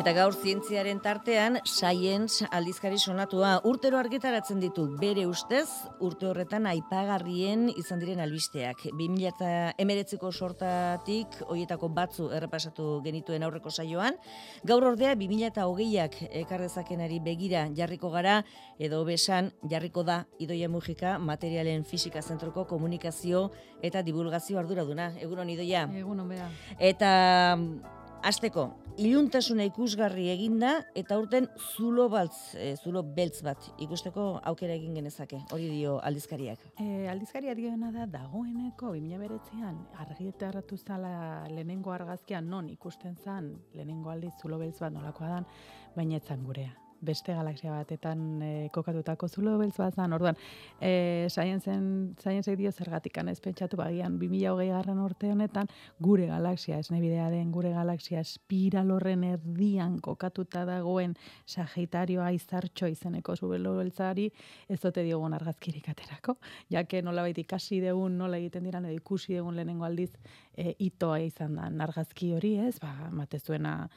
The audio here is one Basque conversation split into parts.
Eta gaur zientziaren tartean, Science aldizkari sonatua urtero argitaratzen ditu bere ustez, urte horretan aipagarrien izan diren albisteak. 2019ko sortatik, hoietako batzu errepasatu genituen aurreko saioan, gaur ordea 2020ak ekarrezakenari begira jarriko gara, edo besan jarriko da Idoia Mujika, Materialen Fisika Zentroko komunikazio eta divulgazio arduraduna. Egunon, Idoia. Egunon, bera. Eta hasteko, iluntasuna ikusgarri eginda eta urten zulo beltz bat ikusteko aukera egin genezake. Hori dio aldizkariak. Aldizkaria dioena da dagoeneko 2009an argitaratu zala lehenengo argazkian non ikusten zan lehenengo aldiz zulo beltz bat nolakoa dan, baina etzan gurea. Beste galaxia batetan kokatutako zulo beltz bat zan. Orduan, Science dio zergatikan ez pentsatu bagian 2020 urte honetan gure galaxia, esnebidea den gure galaxia espiral horren erdian kokatuta dagoen Sagitarioa izartxo izeneko zulo beltzari ez dote diogun argazkirik aterako. Jake nolabait ikasi degun, nola egiten diran edo ikusi degun lehenengo aldiz itoa izan da argazki hori, ez? Matezuena,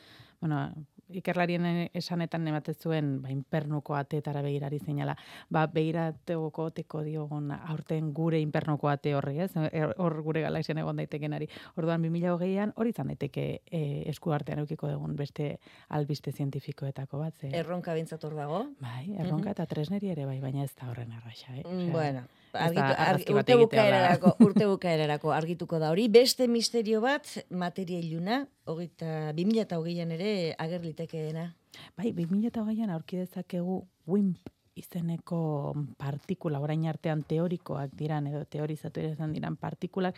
ikerlarien esanetan ematen zuen inpernuko ateetara begirari zeinala. Begirateko teko diogun aurten gure inpernuko ate horri, ez? Hor gure galaxian egon daitekenari. Orduan 2020an hori izan daiteke esku artean edukiko dugun beste albiste zientifikoetako bat. Erronka bintzat hor dago. Bai, erronka eta tresneri ere bai, baina ez da horren arraxa. Bueno, urte bukaerarako argituko da hori. Beste misterio bat, materia iluna, 2020an ere ager litekeena. Bai, 2020an aurki dezakegu WIMP izeneko partikula, orain artean teorikoak diran edo teorizatu izan diran partikulak,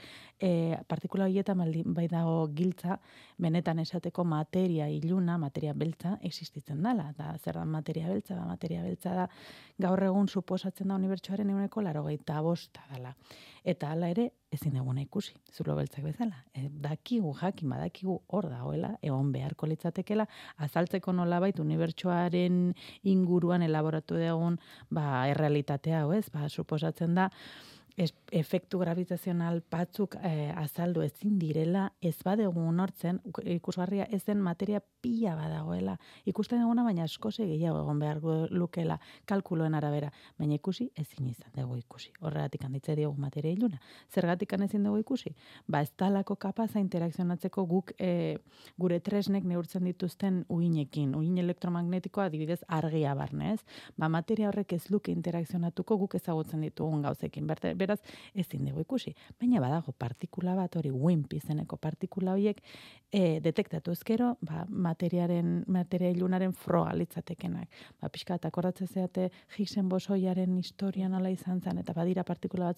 partikula horietan bai dago giltza, benetan esateko materia iluna, materia beltza existitzen dela. Da, zer da materia beltza? Materia beltza da gaur egun suposatzen da unibertsoaren 95% dela. Eta hala ere ezin eguna ikusi, zulo beltzak bezala. Badakigu hor dagoela, egon beharko litzatekela, azaltzeko nolabait unibertsoaren inguruan elaboratu dugun errealitatea, ez? Suposatzen da efektu gravitazional batzuk azaldu ezin direla, ez badegu unortzen, ikusgarria ez den materia pila badagoela. Ikusten duguna, baina askoze gehiago egon behar lukela kalkuloen arabera, baina ikusi ezin izan dugu ikusi. Horregatik handitze diogu materia iluna. Zergatik ezin dugu ikusi? Ez talako kapaza interakzionatzeko guk gure tresnek neurtzen dituzten uhinekin. Uhin elektromagnetikoa adibidez argia barnez. Materia horrek ez luke interakzionatuko guk ezagutzen ditugun gauzekin. Beraz, ezin dugu ikusi. Baina badago partikula bat hori, WIMP izeneko partikula horiek detektatu ezkero, materia ilunaren froga litzatekenak. Pixkat, akordatzen zeate Higgsen bosoiaren historian ala izan zen, eta badira partikula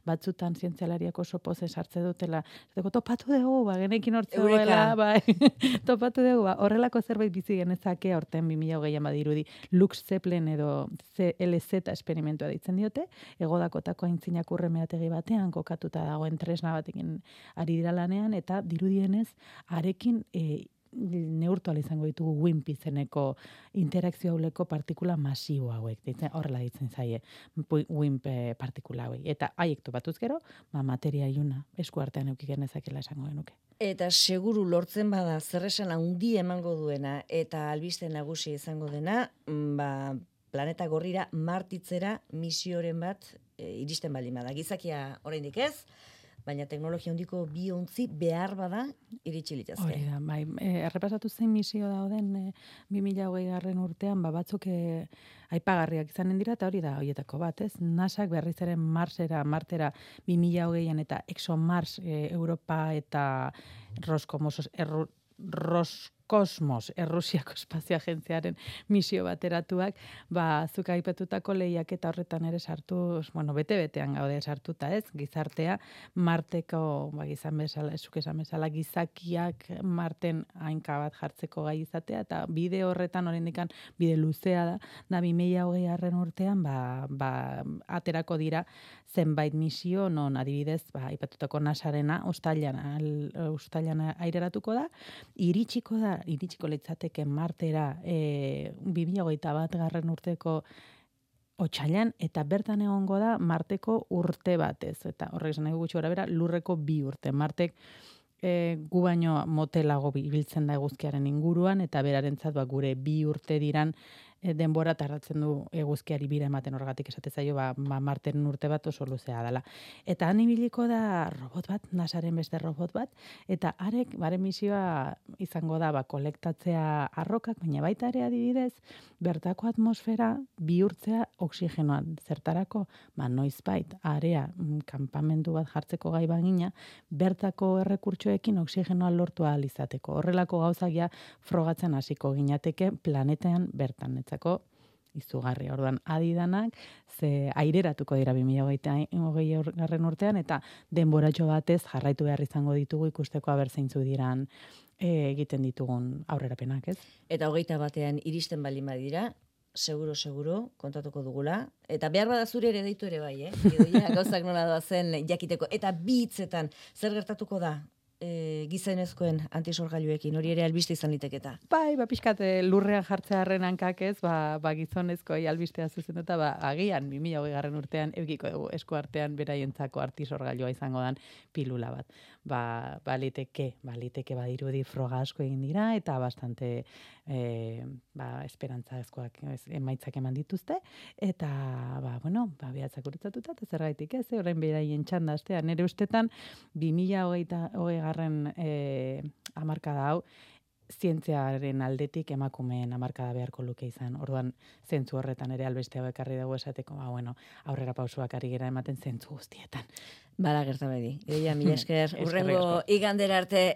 batzutan zientzialariak oso poze sartze dutela. Topatu dugu, genekin hortze duela, topatu dugu, horrelako zerbait bizi genezake aurten 2020an badirudi Lux Zeppelin edo CLZ esperimentua ditzen diote, egodakotako aintzinak urremeategi batean kokatuta dagoen tresna batekin ari dira lanean, eta dirudienez arekin neurtu ala izango ditugu WIMP izeneko interakzio hauleko partikula masibo hauek. Horrela ditzen zaie WIMP partikula hauek. Eta haiek topatuz gero, materia iluna esku artean eduki genezakela esango genuke. Eta seguru lortzen bada zerresan handi emango duena eta albiste nagusi izango dena, planeta gorrira martitzera misioren bat iristen baldin bada. Gizakia oraindik ez, baina teknologia handiko bi ontzi behar bada iritsi litezke. Hori da, errepasatu zein misio dauden 2020 urtean, batzuk aipagarriak izanen dira, eta hori da horietako bat, ez? NASAk berriz ere Martera 2020an eta ExoMars Europa eta Roskosmos, Errusiako Espazio Agentziaren misio bateratuak, zuk aipatutako lehiak eta horretan ere sartuz, bete-betean gaude sartuta, ez? Gizartea, Marteko, zuk esan bezala, gizakiak Marten hainka bat jartzeko gai izatea, eta bide horretan oraindikan bide luzea da 2020 urtean, aterako dira zenbait misio, non adibidez, aipatutako NASArena, uztailan aireratuko da, iritsiko litzateke Martera 2021 urteko otsailean, eta bertan egongo da Marteko urte batez, eta horrek esan nahi gutxi gorabehera lurreko 2 urte. Martek gu baino motelago ibiltzen da eguzkiaren inguruan, eta berarentzat gure 2 urte diran denbora tardatzen du eguzkiari bira ematen, horregatik esate zaio Marteren urte bat oso luzea dela. Eta han ibiliko da robot bat, NASAren beste robot bat, eta haren misioa izango da kolektatzea arrokak, baina baita ere adibidez, bertako atmosfera bihurtzea oxigenoan. Zertarako, noizbait area kanpamendu bat jartzeko gai bagina, bertako errekurtsoekin oxigenoa lortu ahal izateko. Horrelako gauzak ja frogatzen hasiko ginateke planetean bertan. Etzako izugarri, orduan adidanak, ze aireratuko dira 2020 urtean, eta denboratxo batez jarraitu behar izango ditugu ikusteko aber zeintzu diran egiten ditugun aurrerapenak, ez? Eta 21ean iristen baldin badira, seguro, kontatuko dugula. Eta behar bada zure ere deitu ere bai, Idoia, gauzak nola doazen jakiteko. Eta 2 hitzetan, zer gertatuko da gizonezkoen antisorgailuekin, hori ere albiste izan liteketa. Bai, pixkat lurrean jartzearen hankak ez, gizonezkoi albistea zuzenduta, agian 2020 urtean eukiko dugu eskuartean beraientzako antisorgailua izango dan pilula bat. Baliteke badirudi froga asko egin dira, eta bastante esperantzazkoak emaitzak eman dituzte, eta behatzak urutzatuta, eta zergaitik ez, orain beraien txanda astean, nire ustetan 2020 hamarkada hau, zientziaren aldetik emakumeen hamarkada beharko luke izan. Orduan, zentzu horretan ere albeste hau ekarri dugu esateko, aurrera pausuak ari gera ematen zentzu guztietan. Bala gerta bedi. Idoia, mila esker, urrengo igandera arte